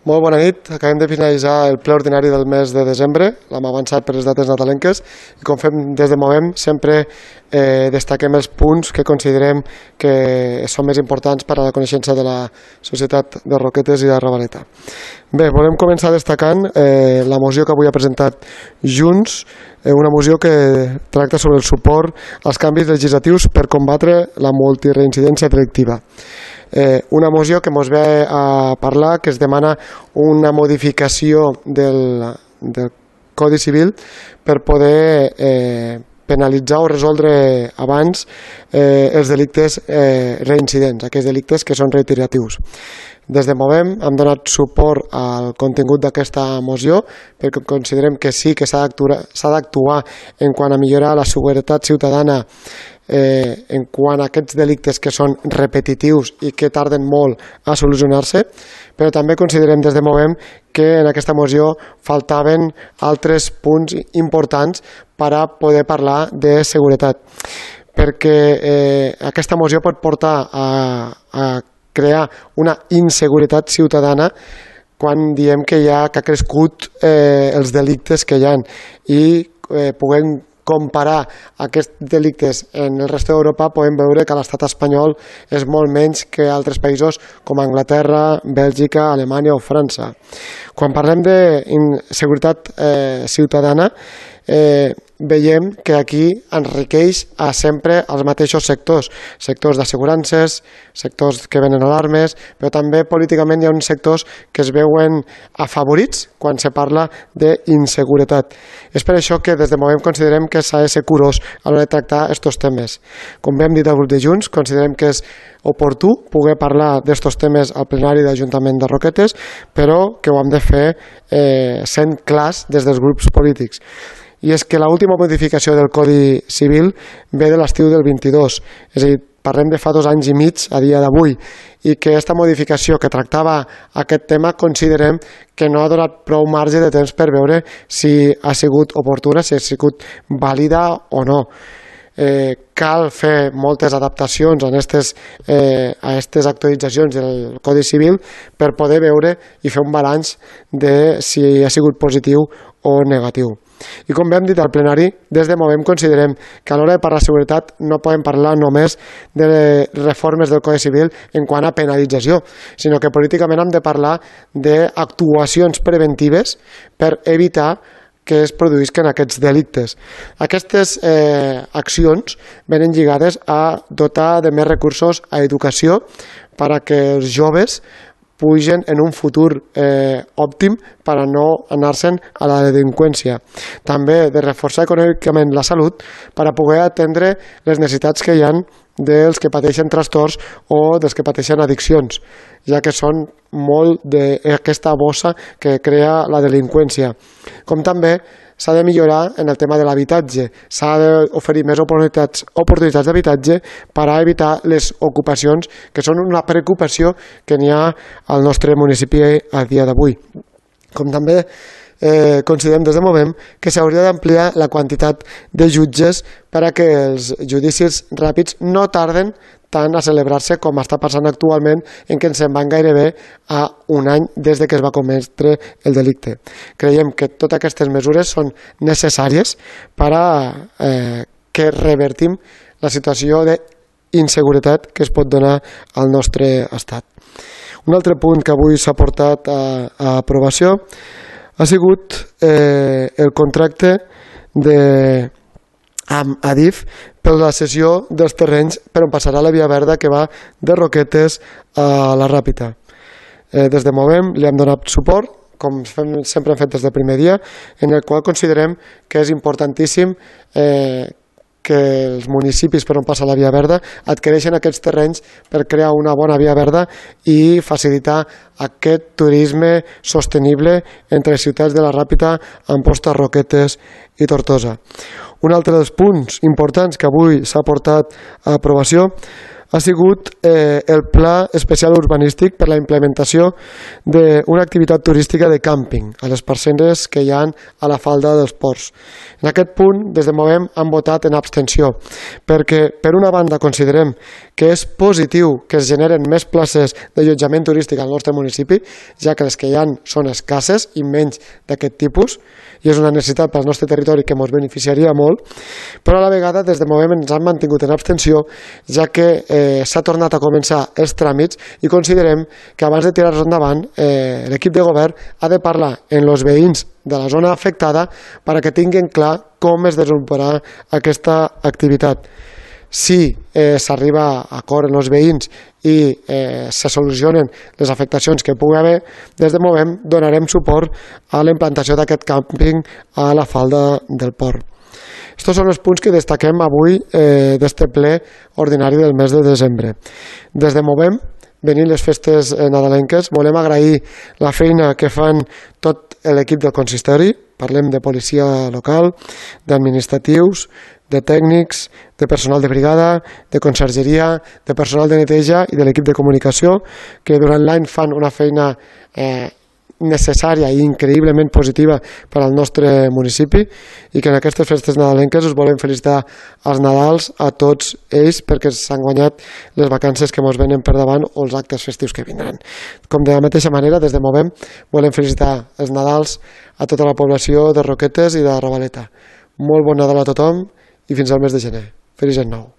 Molt bona nit. Acabem de finalitzar el ple ordinari del mes de desembre. L'hem avançat per les dates nadalenques i com fem des de Movem sempre destaquem els punts que considerem que són més importants per a la coneixença de la societat de Roquetes i de Ravaleta. Bé, volem començar destacant la moció que avui ha presentat Junts, una moció que tracta sobre el suport als canvis legislatius per combatre la multireincidència delictiva. Una moció que ens ve a parlar que es demana una modificació del Codi Civil per poder penalitzar o resoldre abans els delictes reincidents, aquells delictes que són reiteratius. Des de Movem hem donat suport al contingut d'aquesta moció perquè considerem que sí que s'ha d'actuar en quant a millorar la seguretat ciutadana en quant a aquests delictes que són repetitius i que tarden molt a solucionar-se, però també considerem des de Movem que en aquesta moció faltaven altres punts importants per a poder parlar de seguretat, perquè aquesta moció pot portar a crear una inseguretat ciutadana quan diem que ha crescut els delictes que hi ha i puguem comparar aquests delictes en el resta d'Europa, podem veure que l'estat espanyol és molt menys que altres països com Anglaterra, Bèlgica, Alemanya o França. Quan parlem d'inseguretat ciutadana, veiem que aquí enriqueix sempre els mateixos sectors d'assegurances, sectors que venen alarmes, però també políticament hi ha uns sectors que es veuen afavorits quan se parla d'inseguretat. És per això que des de Movem considerem que s'ha de ser curós a l'hora de tractar aquests temes. Com bé hem dit al grup de Junts, considerem que és oportú poder parlar d'aquests temes al plenari d'Ajuntament de Roquetes, però que ho hem de fer sent clars des dels grups polítics. I és que l'última modificació del Codi Civil ve de l'estiu del 22, és a dir, parlem de fa 2 anys i mig a dia d'avui, i que aquesta modificació que tractava aquest tema considerem que no ha donat prou marge de temps per veure si ha sigut oportuna, si ha sigut vàlida o no. Cal fer moltes adaptacions a aquestes actualitzacions del Codi Civil per poder veure i fer un balanç de si ha sigut positiu o negatiu. I com bé hem dit al plenari, des de Movem considerem que a l'hora de parlar de seguretat no podem parlar només de reformes del Codi Civil en quant a penalització, sinó que políticament hem de parlar d'actuacions preventives per evitar que es produïsquen aquests delictes. Aquestes accions venen lligades a dotar de més recursos a educació per a que els joves pugen en un futur òptim per a no anar-se'n a la delinqüència. També de reforçar econòmicament la salut per a poder atendre les necessitats que hi ha dels que pateixen trastorns o dels que pateixen addiccions, ja que són molt d'aquesta bossa que crea la delinqüència. Com també s'ha de millorar en el tema de l'habitatge, s'ha d'oferir més oportunitats d'habitatge per a evitar les ocupacions, que són una preocupació que n'hi ha al nostre municipi a dia d'avui. Com també considerem des de Movem que s'hauria d'ampliar la quantitat de jutges per a que els judicis ràpids no tarden tant a celebrar-se com està passant actualment, en què ens en van gairebé a 1 any des que es va cometre el delicte. Creiem que totes aquestes mesures són necessàries per a que revertim la situació d'inseguretat que es pot donar al nostre estat. Un altre punt que avui s'ha portat a aprovació ha sigut el contracte amb Adif per la cessió dels terrenys per on passarà la via verda que va de Roquetes a la Ràpita. Des de Movem li hem donat suport, com sempre hem fet des del primer dia, en el qual considerem que és importantíssim que els municipis per on passa la via verda adquireixen aquests terrenys per crear una bona via verda i facilitar aquest turisme sostenible entre les ciutats de la Ràpita, Amposta, Roquetes i Tortosa. Un altre dels punts importants que avui s'ha portat a aprovació ha sigut el Pla Especial Urbanístic per la implementació d'una activitat turística de càmping a les parcel·les que hi ha a la falda dels ports. En aquest punt, des de Movem, han votat en abstenció, perquè, per una banda, considerem que és positiu que es generen més places d'allotjament turístic al nostre municipi, ja que les que hi ha són escasses i menys d'aquest tipus, i és una necessitat pel nostre territori que ens beneficiaria molt, però a la vegada, des de Movem, ens han mantingut en abstenció, ja que s'ha tornat a començar els tràmits i considerem que abans de tirar-los endavant, l'equip de govern ha de parlar amb els veïns de la zona afectada perquè tinguin clar com es desenvoluparà aquesta activitat. Si s'arriba a acord amb els veïns i se solucionen les afectacions que pugui haver, des de Movem donarem suport a la implantació d'aquest càmping a la falda del port. Estos són els punts que destaquem avui d'este ple ordinari del mes de desembre. Des de Movem, venint les festes nadalenques, volem agrair la feina que fan tot l'equip del consistori, parlem de policia local, d'administratius, de tècnics, de personal de brigada, de consergeria, de personal de neteja i de l'equip de comunicació, que durant l'any fan una feina necessària i increïblement positiva per al nostre municipi i que en aquestes festes nadalenques us volem felicitar als Nadals a tots ells perquè s'han guanyat les vacances que ens venen per davant o els actes festius que vindran. Com de la mateixa manera, des de Movem volem felicitar els Nadals a tota la població de Roquetes i de Ravaleta. Molt bon Nadal a tothom i fins al mes de gener. Feliç any nou.